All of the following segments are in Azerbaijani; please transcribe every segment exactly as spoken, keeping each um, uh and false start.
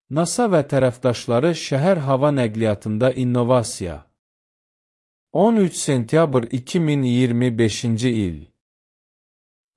NASA və tərəfdaşları şəhər hava nəqliyyatında innovasiya. on üç sentyabr iki min iyirmi beşinci il.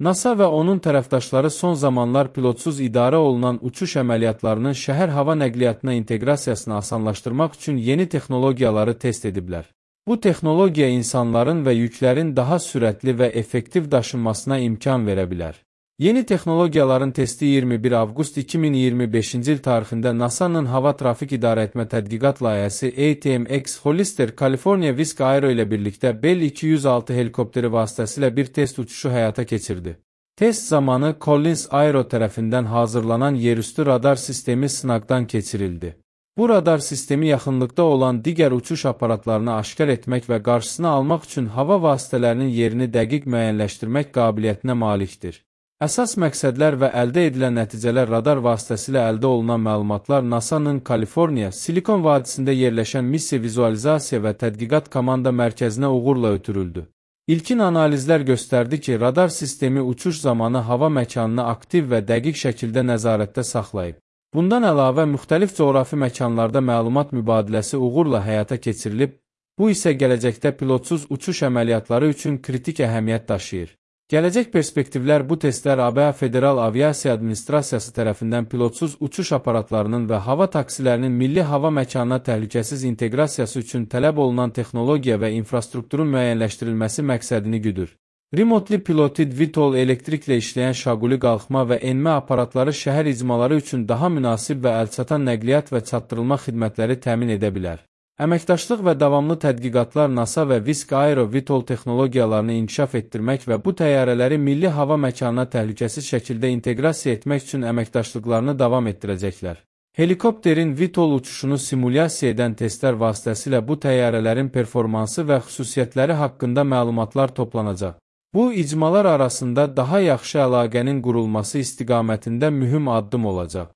NASA və onun tərəfdaşları son zamanlar pilotsuz idarə olunan uçuş əməliyyatlarının şəhər hava nəqliyyatına inteqrasiyasını asanlaşdırmaq üçün yeni texnologiyaları test ediblər. Bu texnologiya insanların və yüklərin daha sürətli və effektiv daşınmasına imkan verə bilər. Yeni texnologiyaların testi iyirmi bir avqust iki min iyirmi beşinci il tarixində NASA'nın Hava Trafik İdarəetmə Tədqiqat Layihəsi A T M X Hollister California Wisk Aero ilə birlikdə Bell iki yüz altı helikopteri vasitəsilə bir test uçuşu həyata keçirdi. Test zamanı Collins Aero tərəfindən hazırlanan yerüstü radar sistemi sınaqdan keçirildi. Bu radar sistemi yaxınlıqda olan digər uçuş aparatlarını aşkar etmək və qarşısını almaq üçün hava vasitələrinin yerini dəqiq müəyyənləşdirmək qabiliyyətinə malikdir. Əsas məqsədlər və əldə edilən nəticələr radar vasitəsilə əldə olunan məlumatlar NASA'nın Kaliforniya, Silikon vadisində yerləşən missiya vizualizasiya və tədqiqat komanda mərkəzinə uğurla ötürüldü. İlkin analizlər göstərdi ki, radar sistemi uçuş zamanı hava məkanını aktiv və dəqiq şəkildə nəzarətdə saxlayıb. Bundan əlavə, müxtəlif coğrafi məkanlarda məlumat mübadiləsi uğurla həyata keçirilib, bu isə gələcəkdə pilotsuz uçuş əməliyyatları üçün kritik əhəmiyyət daşıyır. Gələcək perspektivlər bu testlər A B A Federal Aviasiya Administrasiyası tərəfindən pilotsuz uçuş aparatlarının və hava taksilərinin milli hava məkanına təhlükəsiz inteqrasiyası üçün tələb olunan texnologiya və infrastrukturun müəyyənləşdirilməsi məqsədini güdür. Remotely Piloted V TOL elektriklə işləyən şaquli qalxma və enmə aparatları şəhər icmaları üçün daha münasib və əlçatan nəqliyyat və çatdırılma xidmətləri təmin edə bilər. Əməkdaşlıq və davamlı tədqiqatlar NASA və Wisk Aero V TOL texnologiyalarını inkişaf etdirmək və bu təyyarələri milli hava məkanına təhlükəsiz şəkildə inteqrasiya etmək üçün əməkdaşlıqlarını davam etdirəcəklər. Helikopterin V TOL uçuşunu simulyasiya edən testlər vasitəsilə bu təyyarələrin performansı və xüsusiyyətləri haqqında məlumatlar toplanacaq. Bu, icmalar arasında daha yaxşı əlaqənin qurulması istiqamətində mühüm addım olacaq.